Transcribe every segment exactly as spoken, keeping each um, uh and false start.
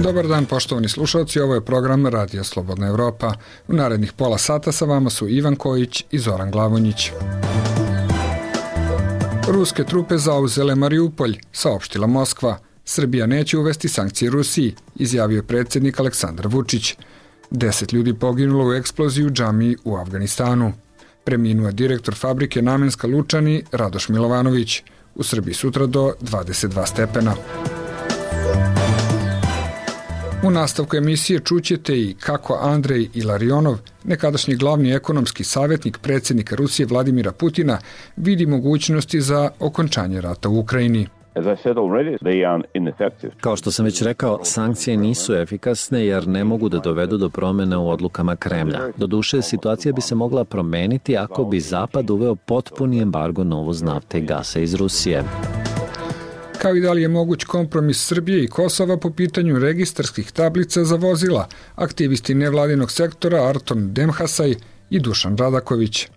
Dobar dan, poštovani slušalci, ovo je program Radija Slobodna Evropa. U narednih pola sata sa vama su Ivan Kojić i Zoran Glavonjić. Ruske trupe zauzele Mariupolj, saopštila Moskva. Srbija neće uvesti sankcije Rusiji, izjavio je predsjednik Aleksandar Vučić. Deset ljudi poginulo u eksploziji u džamiji u Afganistanu. Preminuo je direktor fabrike Namenska Lučani Radoš Milovanović. U Srbiji sutra do dvadeset dva stepena. U nastavku emisije čućete i kako Andrej Ilarionov, nekadašnji glavni ekonomski savjetnik predsjednika Rusije Vladimira Putina, vidi mogućnosti za okončanje rata u Ukrajini. Kao što sam već rekao, sankcije nisu efikasne jer ne mogu da dovedu do promjene u odlukama Kremlja. Doduše, situacija bi se mogla promeniti ako bi Zapad uveo potpuni embargo na uvoz nafte i gasa iz Rusije. Kao i da li je moguć kompromis Srbije i Kosova po pitanju registarskih tablica za vozila, aktivisti nevladinog sektora Arton Demhasaj i Dušan Radaković.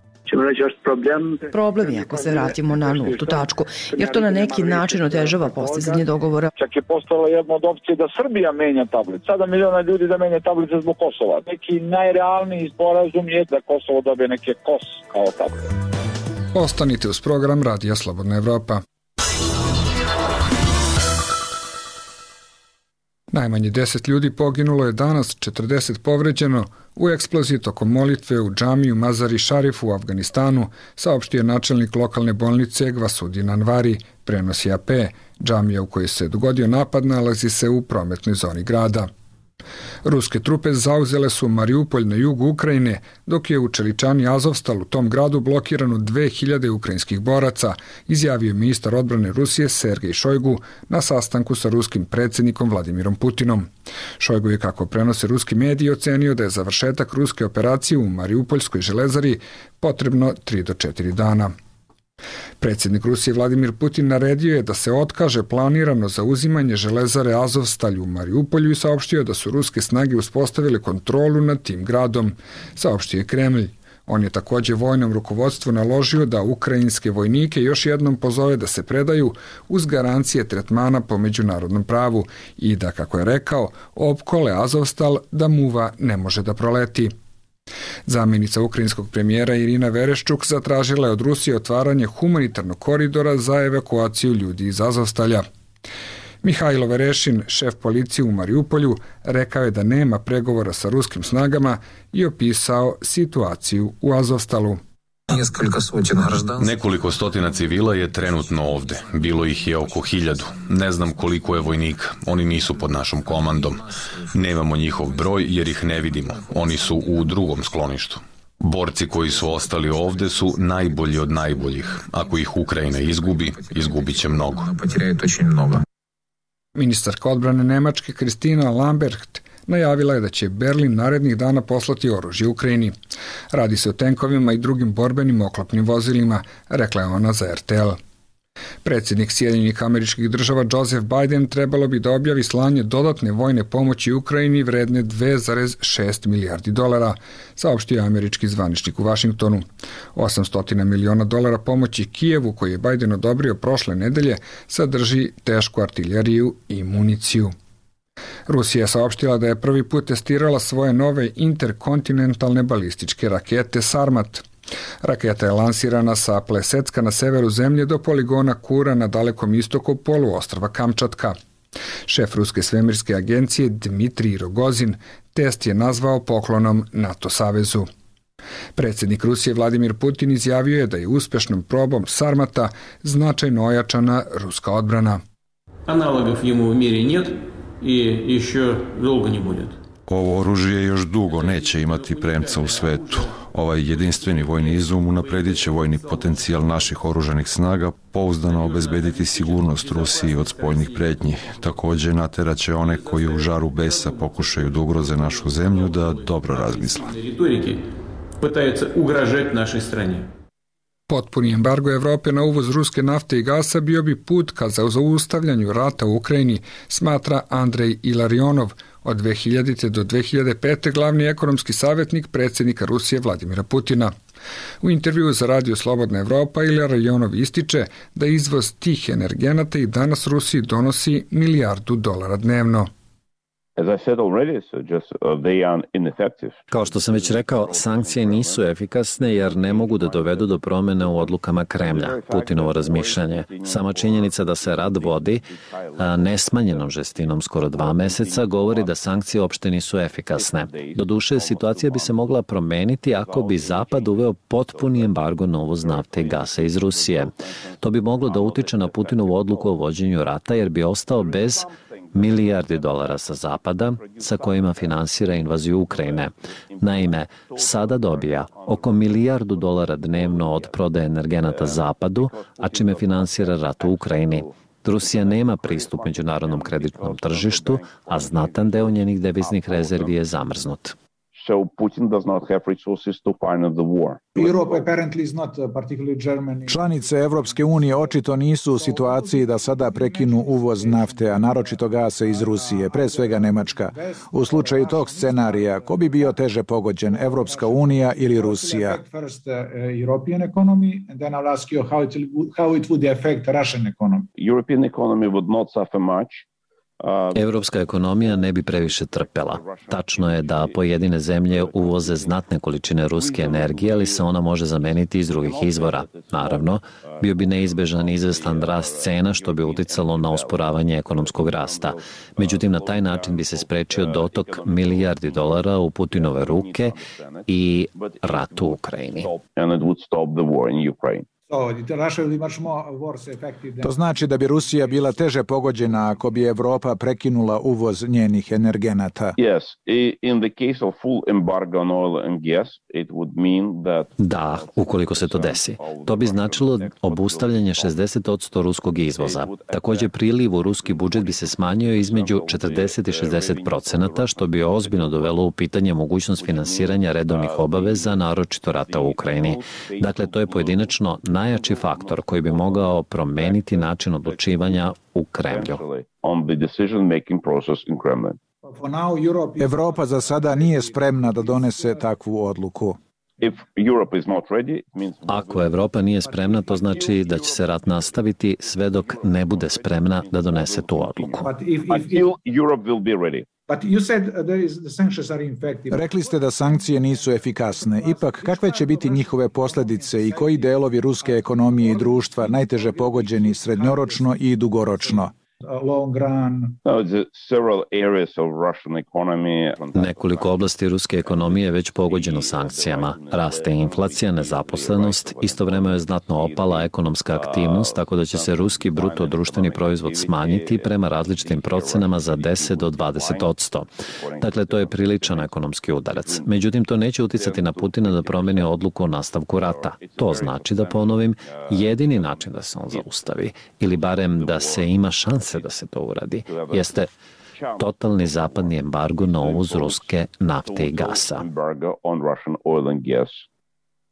Problem je ako se vratimo na nultu tačku, jer to na neki način otežava postizanje dogovora. Čak je postala jedna od opcije da Srbija menja tablice. Sada miliona ljudi da menja tablice zbog Kosova. Neki najrealniji sporazum je da Kosovo dobije neke kos kao tablice. Ostanite uz program Radija Slobodna Evropa. Najmanje deset ljudi poginulo je danas, četrdeset povređeno u eksploziji tokom molitve u džamiju Mazari Šarif u Afganistanu, saopštio je načelnik lokalne bolnice Gvasudin Anvari, prenosi A P. Džamija u kojoj se dogodio napad nalazi se u prometnoj zoni grada. Ruske trupe zauzele su Mariupolj na jugu Ukrajine, dok je u Čeličani Azovstal u tom gradu blokirano dve hiljade ukrajinskih boraca, izjavio ministar odbrane Rusije Sergej Šojgu na sastanku sa ruskim predsjednikom Vladimirom Putinom. Šojgu je, kako prenose ruski mediji, ocenio da je završetak ruske operacije u Mariupoljskoj železari potrebno tri do četiri dana. Predsjednik Rusije Vladimir Putin naredio je da se otkaže planirano zauzimanje železare Azovstal u Mariupolju i saopštio da su ruske snage uspostavile kontrolu nad tim gradom, saopštio je Kremlj. On je također vojnom rukovodstvu naložio da ukrajinske vojnike još jednom pozove da se predaju uz garancije tretmana po međunarodnom pravu i da, kako je rekao, opkole Azovstal da muva ne može da proleti. Zamjenica ukrajinskog premijera Irina Vereščuk zatražila je od Rusije otvaranje humanitarnog koridora za evakuaciju ljudi iz Azovstalja. Mihajlo Verešin, šef policije u Mariupolju, rekao je da nema pregovora sa ruskim snagama i opisao situaciju u Azovstalu. Nekoliko stotina civila je trenutno ovde. Bilo ih je oko hiljadu. Ne znam koliko je vojnika. Oni nisu pod našom komandom. Nemamo njihov broj jer ih ne vidimo. Oni su u drugom skloništu. Borci koji su ostali ovde su najbolji od najboljih. Ako ih Ukrajina izgubi, izgubit će mnogo. Ministarka odbrane Nemačke Kristina Lambrecht najavila je da će Berlin narednih dana poslati oružje Ukrajini. Radi se o tenkovima i drugim borbenim oklopnim vozilima, rekla je ona za R T L. Predsjednik Sjedinjenih Američkih Država Joseph Biden trebalo bi da objavi slanje dodatne vojne pomoći Ukrajini vredne dve zarez šest milijardi dolara, saopštio je američki zvaničnik u Vašingtonu. osamsto miliona dolara pomoći Kijevu, koji je Biden odobrio prošle nedelje, sadrži tešku artiljeriju i municiju. Rusija je saopštila da je prvi put testirala svoje nove interkontinentalne balističke rakete Sarmat. Raketa je lansirana sa Plesecka na severu zemlje do poligona Kura na dalekom istoku poluostrva Kamčatka. Šef Ruske svemirske agencije Dmitrij Rogozin test je nazvao poklonom NATO savezu. Predsjednik Rusije Vladimir Putin izjavio je da je uspješnom probom Sarmata značajno ojačana ruska odbrana. Analogov jemu u miri нет i еще долго не будет. Ovo oružje još dugo neće imati premca u svetu. Ovaj jedinstveni vojni izum unapredit će vojni potencijal naših oružanih snaga, pouzdano obezbediti sigurnost Rusiji od spoljnih pretnji. Također naterat će one koji u žaru besa pokušaju da ugroze našu zemlju da dobro razmisle. Potpuni embargo Evrope na uvoz ruske nafte i gasa bio bi put ka zaustavljanju rata u Ukrajini, smatra Andrej Ilarionov, od dve hiljadite do dve hiljade pete glavni ekonomski savjetnik predsjednika Rusije Vladimira Putina. U intervjuu za Radio Slobodna Evropa Ilarionov ističe da izvoz tih energenata i danas Rusiji donosi milijardu dolara dnevno. Kao što sam već rekao, sankcije nisu efikasne jer ne mogu da dovedu do promene u odlukama Kremlja, Putinovo razmišljanje. Sama činjenica da se rat vodi nesmanjenom žestinom skoro dva meseca govori da sankcije uopšte nisu efikasne. Doduše, situacija bi se mogla promeniti ako bi Zapad uveo potpuni embargo na uvoz nafte i gasa iz Rusije. To bi moglo da utiče na Putinovu odluku o vođenju rata jer bi ostao bez milijardi dolara sa Zapada, sa kojima finansira invaziju Ukrajine. Naime, sada dobija oko milijardu dolara dnevno od prodaje energenata Zapadu, a čime finansira rat u Ukrajini. Rusija nema pristup međunarodnom kreditnom tržištu, a znatan deo njenih deviznih rezervi je zamrznut. So Putin does not have resources to finance the war. Europe apparently is not particularly Germany. Članice Evropske unije očito nisu u situaciji da sada prekinu uvoz nafte, a naročito gasa iz Rusije, pre svega Nemačka. U slučaju tog scenarija, ko bi bio teže pogođen, Evropska unija ili Rusija? First European economy, and then I'll ask you how it how it would affect Russian economy. European economy would not suffer much. Evropska ekonomija ne bi previše trpela. Tačno je da pojedine zemlje uvoze znatne količine ruske energije, ali se ona može zameniti iz drugih izvora. Naravno, bio bi neizbežan izvestan rast cena što bi uticalo na usporavanje ekonomskog rasta. Međutim, na taj način bi se sprečio dotok milijardi dolara u Putinove ruke i rat u Ukrajini. To znači da bi Rusija bila teže pogođena ako bi Evropa prekinula uvoz njenih energenata. Da, ukoliko se to desi. To bi značilo obustavljanje šezdeset posto ruskog izvoza. Takođe, priliv u ruski budžet bi se smanjio između četrdeset i šezdeset procenata, što bi ozbiljno dovelo u pitanje mogućnost finansiranja redovnih obaveza, naročito rata u Ukrajini. Dakle, to je pojedinačno najjači faktor koji bi mogao promeniti način odlučivanja u Kremlju. Evropa za sada nije spremna da donese takvu odluku. Ako Evropa nije spremna, to znači da će se rat nastaviti sve dok ne bude spremna da donese tu odluku. Rekli ste da sankcije nisu efikasne. Ipak, kakve će biti njihove posledice i koji delovi ruske ekonomije i društva najteže pogođeni srednjoročno i dugoročno? Nekoliko oblasti ruske ekonomije je već pogođeno sankcijama. Raste inflacija, nezaposlenost, istovremeno je znatno opala ekonomska aktivnost, tako da će se ruski bruto društveni proizvod smanjiti prema različitim procenama za deset do dvadeset posto. Dakle, to je priličan ekonomski udarac. Međutim, to neće uticati na Putina da promeni odluku o nastavku rata. To znači, da ponovim, jedini način da se on zaustavi, ili barem da se ima šanse da se to uradi, jeste totalni zapadni embargo na uvoz ruske nafte i gasa.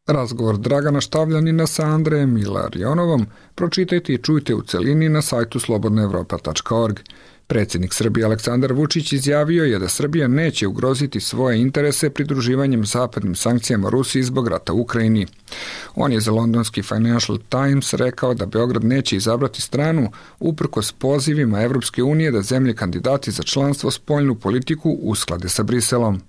Razgovor Dragana Štavljanina sa Andrejem Ilarionovom pročitajte i čujte u celini na sajtu slobodna evropa tačka org. Predsjednik Srbije Aleksandar Vučić izjavio je da Srbija neće ugroziti svoje interese pridruživanjem zapadnim sankcijama Rusiji zbog rata u Ukrajini. On je za londonski Financial Times rekao da Beograd neće izabrati stranu uprkos pozivima Evropske unije da zemlje kandidati za članstvo spoljnu politiku usklade sa Briselom.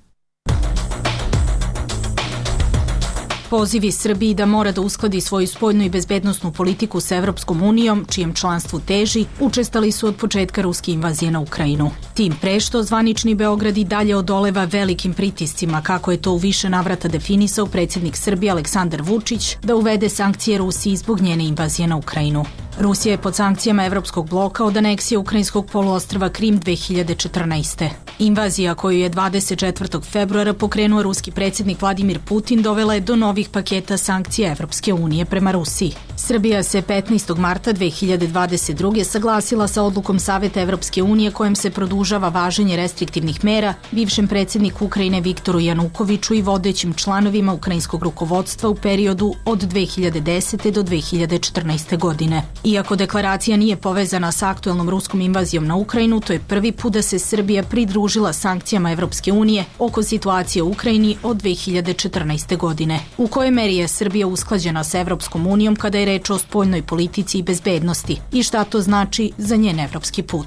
Pozivi Srbiji da mora da uskladi svoju spoljnu i bezbednosnu politiku sa Evropskom unijom, čijem članstvu teži, učestali su od početka ruske invazije na Ukrajinu. Tim pre što zvanični Beograd i dalje odoleva velikim pritiscima, kako je to u više navrata definisao predsjednik Srbije Aleksandar Vučić, da uvede sankcije Rusiji zbog njene invazije na Ukrajinu. Rusija je pod sankcijama Evropskog bloka od aneksije ukrajinskog poluostrva Krim dve hiljade četrnaeste. Invazija koju je dvadeset četvrtog februara pokrenuo ruski predsjednik Vladimir Putin dovela je do novih paketa sankcija Evropske unije prema Rusiji. Srbija se petnaestog marta dve hiljade dvadeset druge saglasila sa odlukom Saveta Evropske unije kojem se produžava važenje restriktivnih mera bivšem predsjedniku Ukrajine Viktoru Janukoviću i vodećim članovima ukrajinskog rukovodstva u periodu od dve hiljade desete do dve hiljade četrnaeste. godine. Iako deklaracija nije povezana sa aktuelnom ruskom invazijom na Ukrajinu, to je prvi put da se Srbija pridružila sankcijama Evropske unije oko situacije u Ukrajini od dve hiljade četrnaeste. godine. U kojoj meri je Srbija usklađena sa Evropskom unijom kada je reč o spoljnoj politici i bezbednosti i šta to znači za njen evropski put?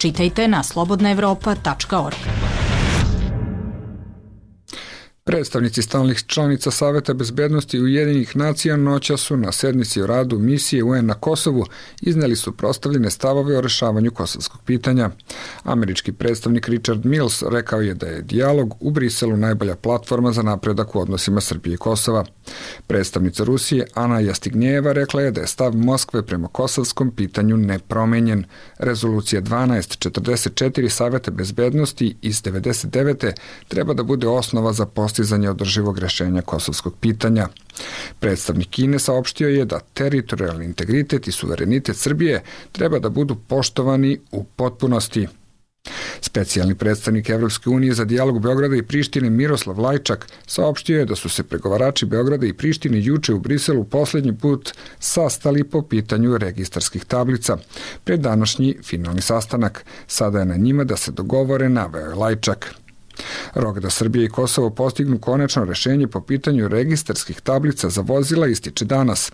Čitajte na slobodna evropa tačka org. Predstavnici stalnih članica Saveta bezbednosti Ujedinjenih nacija noća su na sednici o radu misije U N na Kosovu izneli su prostavljene stavove o rešavanju kosovskog pitanja. Američki predstavnik Richard Mills rekao je da je dijalog u Briselu najbolja platforma za napredak u odnosima Srbije i Kosova. Predstavnica Rusije Ana Jastignjeva rekla je da je stav Moskve prema kosovskom pitanju nepromenjen. Rezolucija dvanaest četrdeset četiri Saveta bezbednosti iz devedeset devete treba da bude osnova za postizanje održivog rešenja kosovskog pitanja. Predstavnik Kine saopštio je da teritorijalni integritet i suverenitet Srbije treba da budu poštovani u potpunosti. Specijalni predstavnik Evropske unije za dijalog Beograda i Prištine Miroslav Lajčak saopštio je da su se pregovarači Beograda i Prištine juče u Briselu poslednji put sastali po pitanju registarskih tablica. Pred današnji finalni sastanak sada je na njima da se dogovore, naveo je Lajčak. Rok da Srbija i Kosovo postignu konačno rešenje po pitanju registarskih tablica za vozila ističe danas.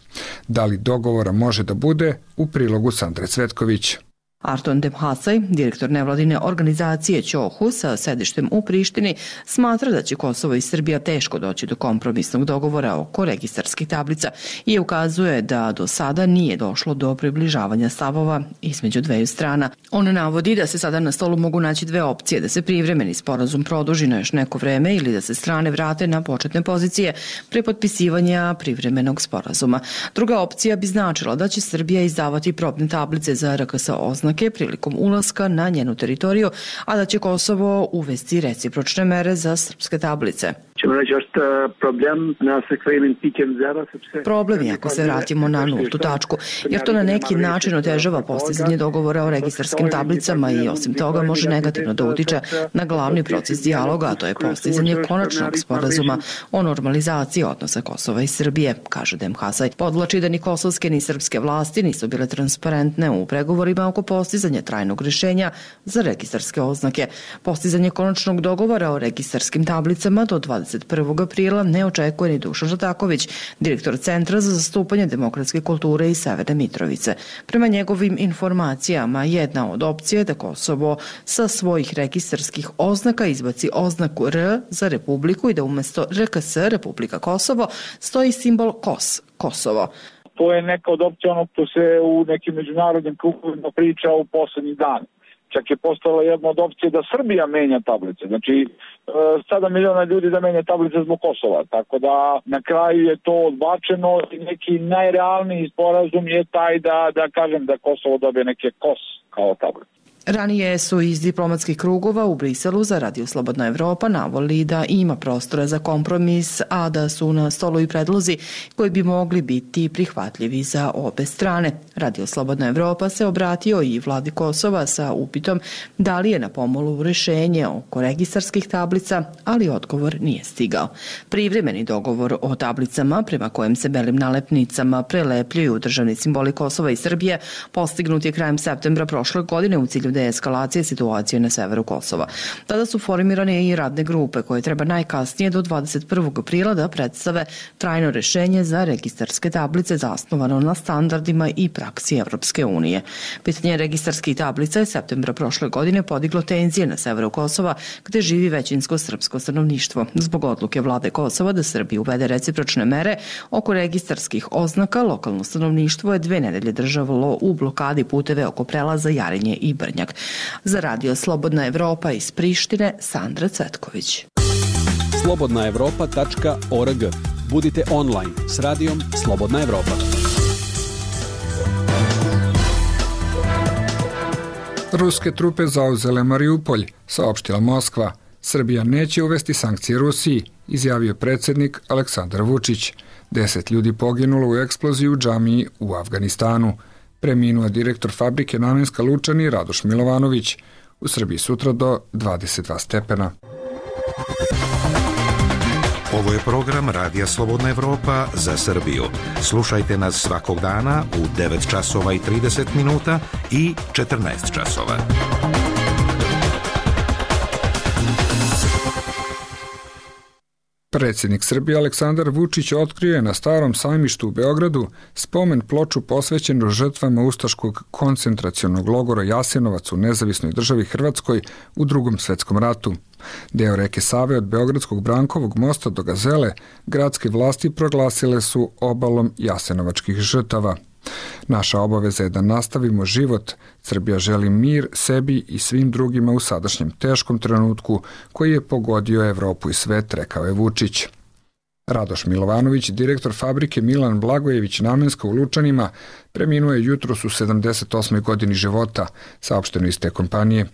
Da li dogovora može da bude, u prilogu Sandre Cvetković. Arton Demhasaj, direktor nevladine organizacije Ćohu sa sedištem u Prištini, smatra da će Kosovo i Srbija teško doći do kompromisnog dogovora oko registarskih tablica i ukazuje da do sada nije došlo do približavanja stavova između dveju strana. On navodi da se sada na stolu mogu naći dve opcije, da se privremeni sporazum produži na još neko vreme ili da se strane vrate na početne pozicije pre potpisivanja privremenog sporazuma. Druga opcija bi značila da će Srbija izdavati probne tablice za R K S oznake prilikom ulaska na njenu teritoriju, a da će Kosovo uvesti recipročne mere za srpske tablice. Problem je ako se vratimo na nultu tačku, jer to na neki način otežava postizanje dogovora o registarskim tablicama i osim toga može negativno da utiče na glavni proces dijaloga, a to je postizanje konačnog sporazuma o normalizaciji odnosa Kosova i Srbije, kaže Demhasaj. Podvlači da ni kosovske ni srpske vlasti nisu bile transparentne u pregovorima oko postizanja trajnog rešenja za registarske oznake. Postizanje konačnog dogovora o registarskim tablicama do dvadeset prvog aprila ne očekuje ni Dušan Žataković, direktor Centra za zastupanje demokratske kulture iz Severne Mitrovice. Prema njegovim informacijama, jedna od opcija je da Kosovo sa svojih registarskih oznaka izbaci oznaku R za Republiku i da umesto R K S, Republika Kosovo, stoji simbol K O S, Kosovo. To je neka od opcija ono što se u nekim međunarodnim krugovima priča u poslednji dan. Čak je postala jedna od opcije da Srbija menja tablice. Znači, sada miliona ljudi da menja tablice zbog Kosova. Tako da na kraju je to odbačeno i neki najrealniji sporazum je taj da, da kažem da Kosovo dobije neke K O S kao tablice. Ranije su iz diplomatskih krugova u Briselu za Radio Slobodna Evropa navoli da ima prostora za kompromis, a da su na stolu i predlozi koji bi mogli biti prihvatljivi za obe strane. Radio Slobodna Evropa se obratio i vladi Kosova sa upitom da li je na pomolu rešenje oko registarskih tablica, ali odgovor nije stigao. Privremeni dogovor o tablicama prema kojem se belim nalepnicama prelepljuju državni simboli Kosova i Srbije postignut je krajem septembra prošle godine u cilju deeskalacije situacije na severu Kosova. Tada su formirane i radne grupe koje treba najkasnije do dvadeset prvog aprila da predstave trajno rešenje za registarske tablice zasnovano na standardima i praksi Evropske unije. Pitanje registarskih tablica je septembra prošle godine podiglo tenzije na severu Kosova gde živi većinsko srpsko stanovništvo. Zbog odluke vlade Kosova da Srbiji uvede recipročne mere oko registarskih oznaka, lokalno stanovništvo je dve nedelje držalo u blokadi puteve oko prelaza Jarinje i Brnjak. Za Radio Slobodna Evropa iz Prištine, Sandra Cvetković. slobodna evropa tačka org. Budite online s radijom Slobodna Evropa. Ruske trupe zauzele Mariupolj, saopštila Moskva. Srbija neće uvesti sankcije Rusiji, izjavio predsjednik Aleksandar Vučić. Deset ljudi poginulo u eksploziji u džamiji u Afganistanu. Preminuo direktor fabrike Namenska Lučani Radoš Milovanović. U Srbiji sutra do dvadeset dva stepena. Ovo je program Radija Slobodna Evropa za Srbiju. Slušajte nas svakog dana u devet časova i trideset minuta i četrnaest časova. Predsjednik Srbije Aleksandar Vučić otkrio je na Starom sajmištu u Beogradu spomen ploču posvećenu žrtvama ustaškog koncentracionog logora Jasenovac u nezavisnoj državi Hrvatskoj u Drugom svetskom ratu. Deo reke Save od Beogradskog Brankovog mosta do Gazele gradske vlasti proglasile su obalom jasenovačkih žrtava. Naša obaveza je da nastavimo život. Srbija želi mir sebi i svim drugima u sadašnjem teškom trenutku koji je pogodio Evropu i svet, rekao je Vučić. Radoš Milovanović, direktor fabrike Milan Blagojević Namenska u Lučanima, preminuo je jutros u sedamdeset osmoj godini života, saopšteno iz te kompanije.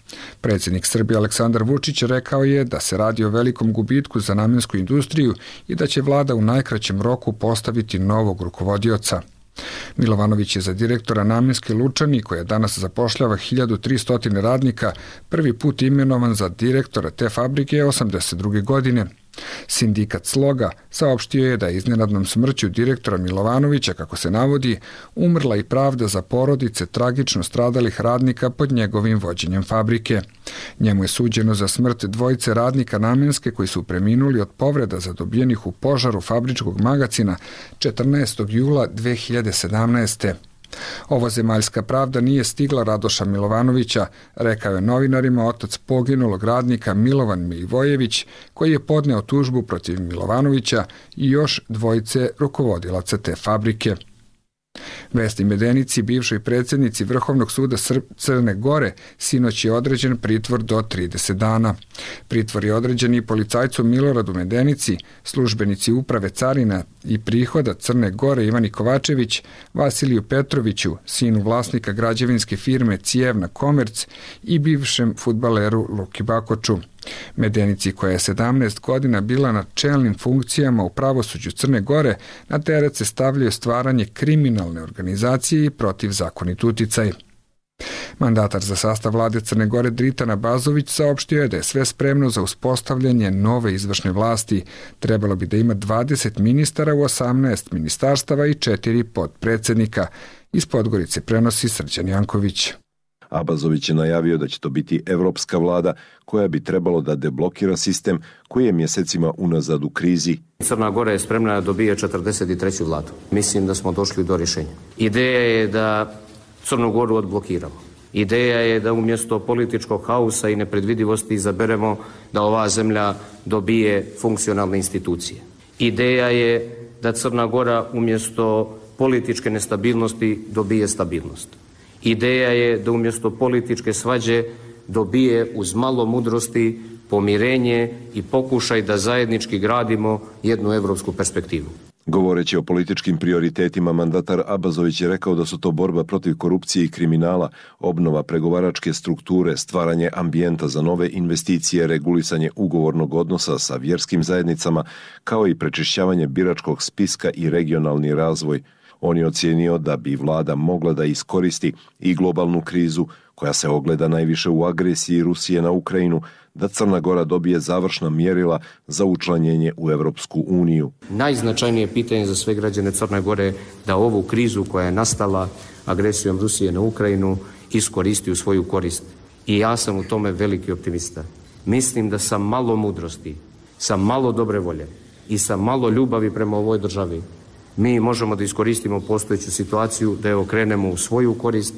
Predsjednik Srbije Aleksandar Vučić rekao je da se radi o velikom gubitku za namensku industriju i da će vlada u najkraćem roku postaviti novog rukovodioca. Milovanović je za direktora Namenske Lučani, koja danas zapošljava hiljadu tristo radnika, prvi put imenovan za direktora te fabrike osamdeset druge godine. Sindikat Sloga saopštio je da je iznenadnom smrću direktora Milovanovića, kako se navodi, umrla i pravda za porodice tragično stradalih radnika pod njegovim vođenjem fabrike. Njemu je suđeno za smrt dvojice radnika Namenske koji su preminuli od povreda zadobijenih u požaru fabričkog magacina četrnaestog jula dve hiljade sedamnaeste. Ovo zemaljska pravda nije stigla Radoša Milovanovića, rekao je novinarima otac poginulog radnika Milovan Milivojević, koji je podneo tužbu protiv Milovanovića i još dvojice rukovodilaca te fabrike. Vesni Medenici, bivšoj predsjednici Vrhovnog suda Crne Gore, sinoć je određen pritvor do trideset dana. Pritvor je određen i policajcu Miloradu Medenici, službenici uprave carina i prihoda Crne Gore Ivani Kovačević, Vasiliju Petroviću, sinu vlasnika građevinske firme Cijevna Komerc i bivšem fudbaleru Luki Bakoču. Medenici, koja je sedamnaest godina bila na čelnim funkcijama u pravosuđu Crne Gore, na teret se stavljaju stvaranje kriminalne organizacije i protivzakonit uticaj. Mandatar za sastav vlade Crne Gore Dritan Abazović saopštio je da je sve spremno za uspostavljanje nove izvršne vlasti. Trebalo bi da ima dvadeset ministara u osamnaest ministarstava i četiri podpredsednika. Iz Podgorice prenosi Srđan Janković. Abazović je najavio da će to biti evropska vlada koja bi trebalo da deblokira sistem koji je mjesecima unazad u krizi. Crna Gora je spremna da dobije četrdeset treću vladu. Mislim da smo došli do rješenja. Ideja je da Crnu Goru odblokiramo. Ideja je da umjesto političkog hausa i nepredvidivosti izaberemo da ova zemlja dobije funkcionalne institucije. Ideja je da Crna Gora umjesto političke nestabilnosti dobije stabilnost. Ideja je da umjesto političke svađe dobije uz malo mudrosti pomirenje i pokušaj da zajednički gradimo jednu evropsku perspektivu. Govoreći o političkim prioritetima, mandatar Abazović je rekao da su to borba protiv korupcije i kriminala, obnova pregovaračke strukture, stvaranje ambijenta za nove investicije, regulisanje ugovornog odnosa sa vjerskim zajednicama, kao i prečišćavanje biračkog spiska i regionalni razvoj. On je ocijenio da bi vlada mogla da iskoristi i globalnu krizu, koja se ogleda najviše u agresiji Rusije na Ukrajinu, da Crna Gora dobije završna mjerila za učlanjenje u Evropsku uniju. Najznačajnije pitanje za sve građane Crne Gore da ovu krizu koja je nastala agresijom Rusije na Ukrajinu iskoristi u svoju korist. I ja sam u tome veliki optimista. Mislim da sa malo mudrosti, sa malo dobre volje i sa malo ljubavi prema ovoj državi mi možemo da iskoristimo postojeću situaciju, da je okrenemo u svoju korist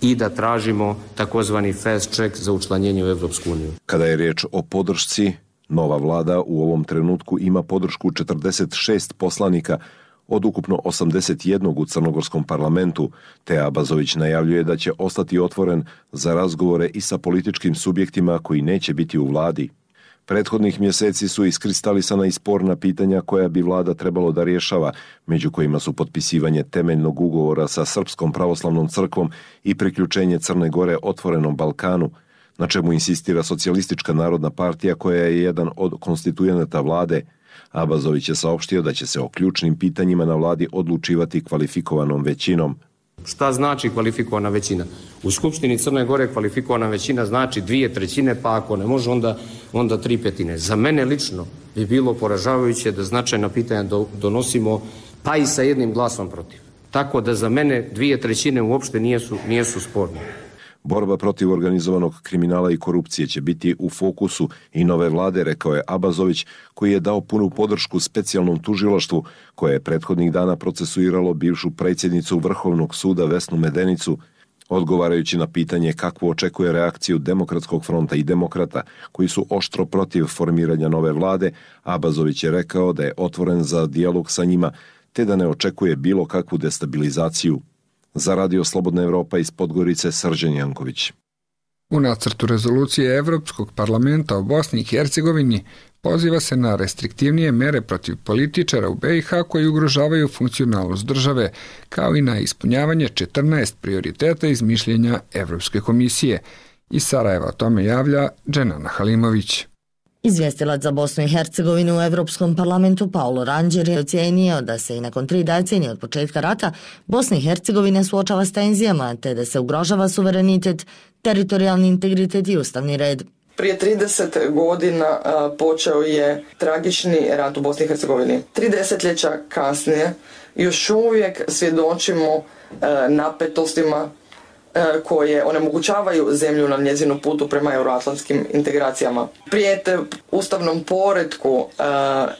i da tražimo takozvani fast track za učlanjenje u Evropsku uniju. Kada je riječ o podršci, nova vlada u ovom trenutku ima podršku četrdeset šest poslanika od ukupno osamdeset jedan u crnogorskom parlamentu, te Abazović najavljuje da će ostati otvoren za razgovore i sa političkim subjektima koji neće biti u vladi. Prethodnih mjeseci su iskristalisana i sporna pitanja koja bi vlada trebalo da rješava, među kojima su potpisivanje temeljnog ugovora sa Srpskom pravoslavnom crkvom i priključenje Crne Gore otvorenom Balkanu, na čemu insistira Socijalistička narodna partija koja je jedan od konstitujenata vlade. Abazović je saopštio da će se o ključnim pitanjima na vladi odlučivati kvalifikovanom većinom. Šta znači kvalifikovana većina? U Skupštini Crne Gore kvalifikovana većina znači dvije trećine, pa ako ne može onda, onda tri petine. Za mene lično bi bilo poražavajuće da značajna pitanja do, donosimo pa i sa jednim glasom protiv. Tako da za mene dvije trećine uopšte nijesu, nijesu sporne. Borba protiv organizovanog kriminala i korupcije će biti u fokusu i nove vlade, rekao je Abazović, koji je dao punu podršku specijalnom tužilaštvu koje je prethodnih dana procesuiralo bivšu predsjednicu Vrhovnog suda Vesnu Medenicu. Odgovarajući na pitanje kakvu očekuje reakciju Demokratskog fronta i demokrata koji su oštro protiv formiranja nove vlade, Abazović je rekao da je otvoren za dijalog sa njima te da ne očekuje bilo kakvu destabilizaciju. Za Radio Slobodna Evropa iz Podgorice, Srđan Janković. U nacrtu rezolucije Evropskog parlamenta o Bosni i Hercegovini poziva se na restriktivnije mere protiv političara u be i ha koji ugrožavaju funkcionalnost države, kao i na ispunjavanje četrnaest prioriteta iz mišljenja Evropske komisije. Iz Sarajeva o tome javlja Dženana Halimović. Izvjestilac za Bosnu i Hercegovinu u Evropskom parlamentu Paulo Ranđer je ocijenio da se i nakon tri decenije od početka rata Bosna i Hercegovina suočava s tenzijama te da se ugrožava suverenitet, teritorijalni integritet i ustavni red. Prije trideset godina a, počeo je tragični rat u Bosni i Hercegovini. Tri desetljeća kasnije još uvijek svjedočimo a, napetostima koje onemogućavaju zemlju na njezinu putu prema euroatlantskim integracijama. Prijete ustavnom poretku uh,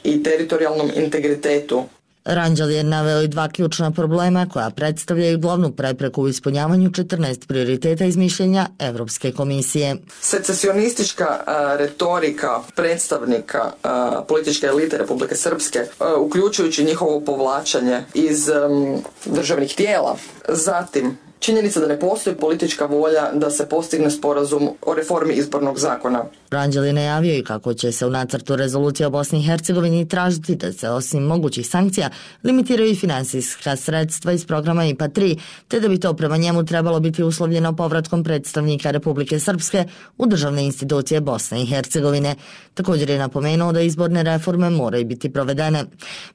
i teritorijalnom integritetu. Ranđel je naveo i dva ključna problema koja predstavljaju glavnu prepreku u ispunjavanju četrnaest prioriteta iz mišljenja Evropske komisije. Secesionistička uh, retorika predstavnika uh, političke elite Republike Srpske, uh, uključujući njihovo povlačenje iz um, državnih tijela. Zatim, činjenica da ne postoji politička volja da se postigne sporazum o reformi izbornog zakona. Ranđel je najavio i kako će se u nacrtu rezolucije o Bosni i Hercegovini tražiti da se osim mogućih sankcija limitiraju i finansijska sredstva iz programa I P A tri, te da bi to prema njemu trebalo biti uslovljeno povratkom predstavnika Republike Srpske u državne institucije Bosne i Hercegovine. Također je napomenuo da izborne reforme moraju biti provedene.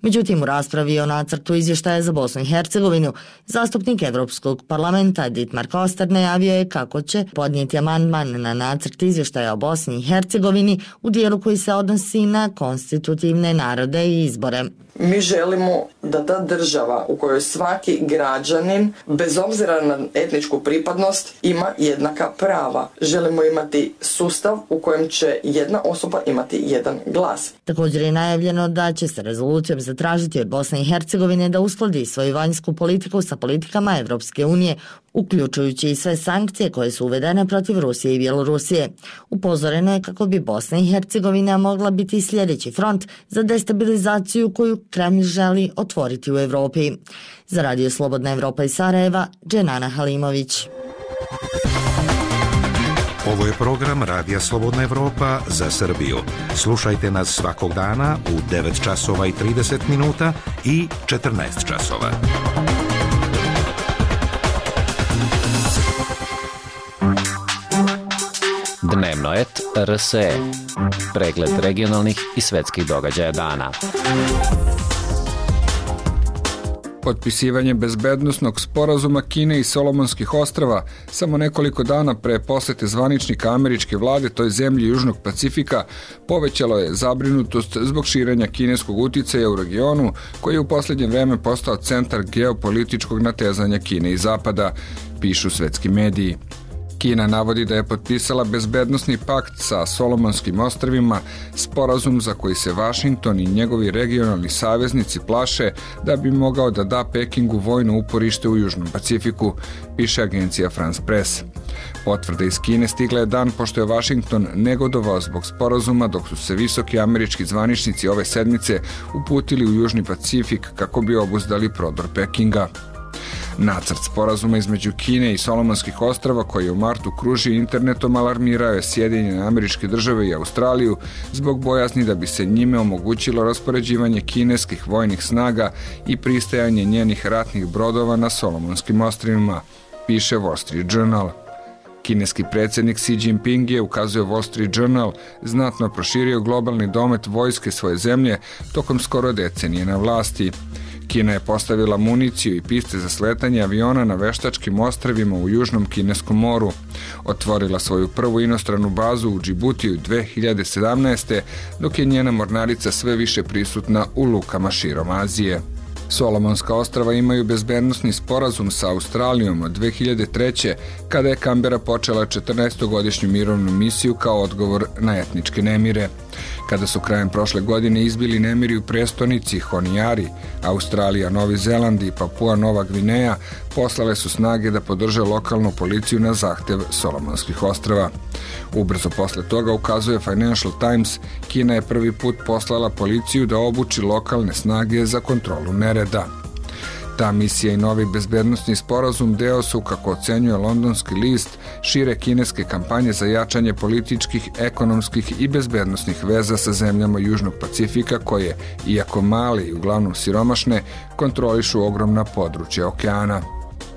Međutim, u raspravi o nacrtu izvještaja za Bosnu i Hercegovinu, zastupnik Evropskog parlamenta Dietmar Koster najavio je kako će podnijeti amandman na nacrt izvještaja o Bosni i Hercegovini u dijelu koji se odnosi na konstitutivne narode i izbore. Mi želimo da ta država u kojoj svaki građanin, bez obzira na etničku pripadnost, ima jednaka prava. Želimo imati sustav u kojem će jedna osoba imati jedan glas. Također je najavljeno da će se rezolucijom zatražiti od Bosne i Hercegovine da uskladi svoju vanjsku politiku sa politikama Evropske unije, uključujući i sve sankcije koje su uvedene protiv Rusije i Bjelorusije. Upozoreno je kako bi Bosna i Hercegovina mogla biti sljedeći front za destabilizaciju koju Kremlj želi otvoriti u Evropi. Za Radio Slobodna Evropa iz Sarajeva, Dženana Halimović. Ovo je program Radija Slobodna Evropa za Srbiju. Slušajte nas svakog dana u devet časova i trideset minuta i četrnaest časova. Dnevno et R S E. Pregled regionalnih i svetskih događaja dana. Potpisivanje bezbednosnog sporazuma Kine i Solomonskih ostrava samo nekoliko dana pre posete zvaničnika američke vlade toj zemlji Južnog Pacifika povećalo je zabrinutost zbog širenja kineskog uticaja u regionu koji je u posljednje vreme postao centar geopolitičkog natezanja Kine i Zapada, pišu svetski mediji. Kina navodi da je potpisala bezbednosni pakt sa Solomonskim ostrvima, sporazum za koji se Vašington i njegovi regionalni saveznici plaše da bi mogao da da Pekingu vojno uporište u Južnom Pacifiku, piše agencija France Press. Potvrda iz Kine stigla je dan pošto je Vašington negodovao zbog sporazuma, dok su se visoki američki zvaničnici ove sedmice uputili u Južni Pacifik kako bi obuzdali prodor Pekinga. Nacrt sporazuma između Kine i Solomonskih ostrava koji je u martu kružio internetom alarmirao je Sjedinjene Američke Države i Australiju zbog bojazni da bi se njime omogućilo raspoređivanje kineskih vojnih snaga i pristajanje njenih ratnih brodova na Solomonskim ostrvima, piše Wall Street Journal. Kineski predsjednik Xi Jinping je, ukazuje Wall Street Journal, znatno proširio globalni domet vojske svoje zemlje tokom skoro decenije na vlasti. Kina je postavila municiju i piste za sletanje aviona na veštačkim ostrvima u Južnom Kineskom moru. Otvorila svoju prvu inostranu bazu u Džibutiju dve hiljade sedamnaeste. dok je njena mornarica sve više prisutna u lukama širom Azije. Solomonska ostrva imaju bezbednosni sporazum sa Australijom od dve hiljade treće. kada je Kambera počela četrnaestogodišnju mirovnu misiju kao odgovor na etničke nemire. Kada su krajem prošle godine izbili nemiri u prestonici Honiari, Australija, Novi Zeland i Papua Nova Gvineja poslale su snage da podrže lokalnu policiju na zahtev Solomonskih ostrva. Ubrzo posle toga, ukazuje Financial Times, Kina je prvi put poslala policiju da obuči lokalne snage za kontrolu nereda. Ta misija i novi bezbednosni sporazum deo su, kako ocenjuje londonski list, šire kineske kampanje za jačanje političkih, ekonomskih i bezbednosnih veza sa zemljama Južnog Pacifika koje, iako male i uglavnom siromašne, kontrolišu ogromna područja okeana.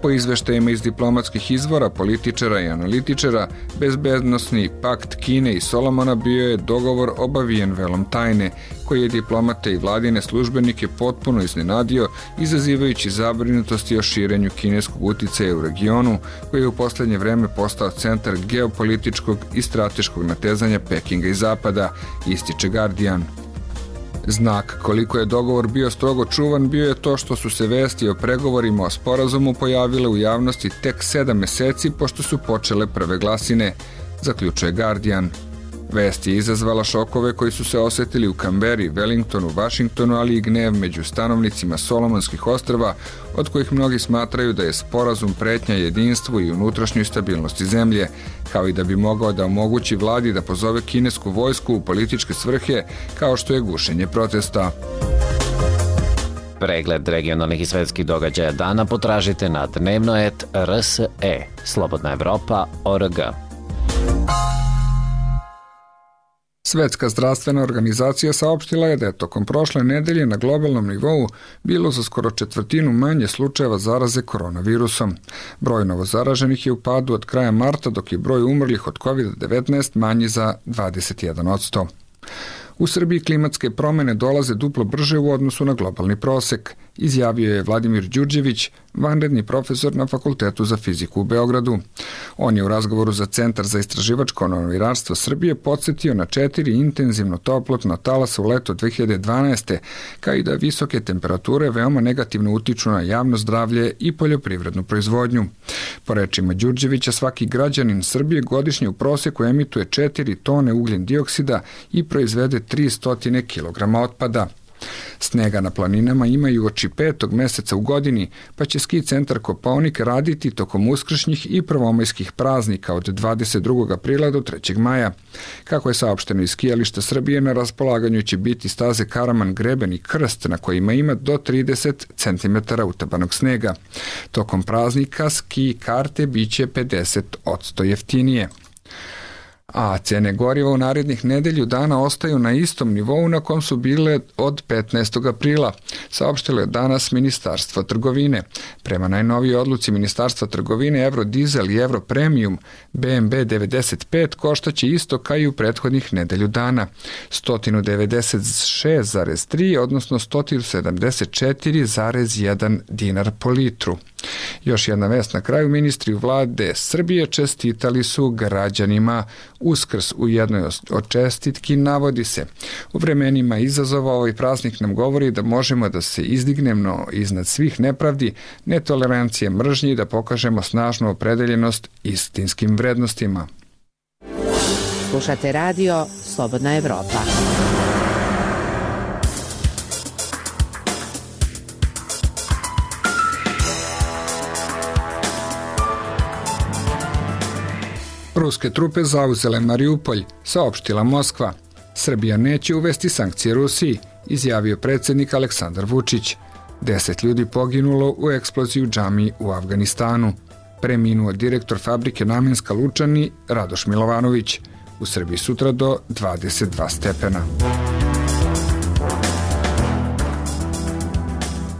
Po izveštajima iz diplomatskih izvora, političara i analitičara, bezbednosni pakt Kine i Solomona bio je dogovor obavijen velom tajne, koji je diplomate i vladine službenike potpuno iznenadio, izazivajući zabrinutosti o širenju kineskog uticaja u regionu, koji je u poslednje vreme postao centar geopolitičkog i strateškog natezanja Pekinga i Zapada, ističe Guardian. Znak koliko je dogovor bio strogo čuvan bio je to što su se vesti o pregovorima o sporazumu pojavile u javnosti tek sedam meseci pošto su počele prve glasine, zaključuje Guardian. Vest je izazvala šokove koji su se osetili u Kamberi, Wellingtonu, Vašingtonu, ali i gnev među stanovnicima Solomonskih ostrva, od kojih mnogi smatraju da je sporazum pretnja jedinstvu i unutrašnjoj stabilnosti zemlje, kao i da bi mogao da omogući vladi da pozove kinesku vojsku u političke svrhe, kao što je gušenje protesta. Pregled regionalnih i svetskih događaja dana potražite na dnevnoet R S E, Slobodna Evropa, O R G. Svetska zdravstvena organizacija saopštila je da je tokom prošle nedelje na globalnom nivou bilo za skoro četvrtinu manje slučajeva zaraze koronavirusom. Broj novozaraženih je u padu od kraja marta, dok je broj umrlih od kovid devetnaest manji za dvadeset jedan posto. U Srbiji klimatske promene dolaze duplo brže u odnosu na globalni prosek, izjavio je Vladimir Đurđević, vanredni profesor na Fakultetu za fiziku u Beogradu. On je u razgovoru za Centar za istraživačko novinarstvo Srbije podsjetio na četiri intenzivno toplotna talasa u leto dve hiljade dvanaeste, kao i da visoke temperature veoma negativno utiču na javno zdravlje i poljoprivrednu proizvodnju. Po rečima Đurđevića, svaki građanin Srbije godišnje u proseku emituje četiri tone ugljen dioksida i proizvede tristo kilograma otpada. Snega na planinama ima i uoči petog meseca u godini, pa će ski centar Kopaonik raditi tokom uskršnjih i prvomajskih praznika od dvadeset drugog aprila do trećeg maja. Kako je saopšteno iz skijališta Srbije, na raspolaganju će biti staze Karaman, Greben i Krst, na kojima ima do trideset centimetara utabanog snega. Tokom praznika ski karte biće pedeset posto jeftinije. A cene goriva u narednih nedelju dana ostaju na istom nivou na kom su bile od petnaestog aprila, saopštilo je danas Ministarstvo trgovine. Prema najnovijoj odluci Ministarstva trgovine, Eurodizel i Europremium B M B devedeset pet koštaće isto kao i u prethodnih nedelju dana, sto devedeset šest zarez tri, odnosno sto sedamdeset četiri zarez jedan dinar po litru. Još jedna vest na kraju, ministri vlade Srbije čestitali su građanima Uskrs. U jednoj od čestitki navodi se: u vremenima izazova ovaj praznik nam govori da možemo da se izdignemo iznad svih nepravdi, netolerancije, mržnji i da pokažemo snažnu opredeljenost istinskim vrednostima. Slušate radio Slobodna Evropa. Ruske trupe zauzele Mariupolj, saopštila Moskva. Srbija neće uvesti sankcije Rusiji, izjavio predsjednik Aleksandar Vučić. Deset ljudi poginulo u eksploziji u džamiji u Afganistanu. Preminuo direktor fabrike Namenska Lučani Radoš Milovanović. U Srbiji sutra do dvadeset dva stepena.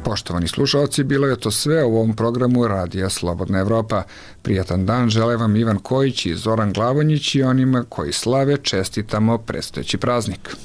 Poštovani slušalci, bilo je to sve u ovom programu Radija Slobodna Evropa. Prijatan dan žele vam Ivan Kojić i Zoran Glavonjić i onima koji slave čestitamo predstojeći praznik.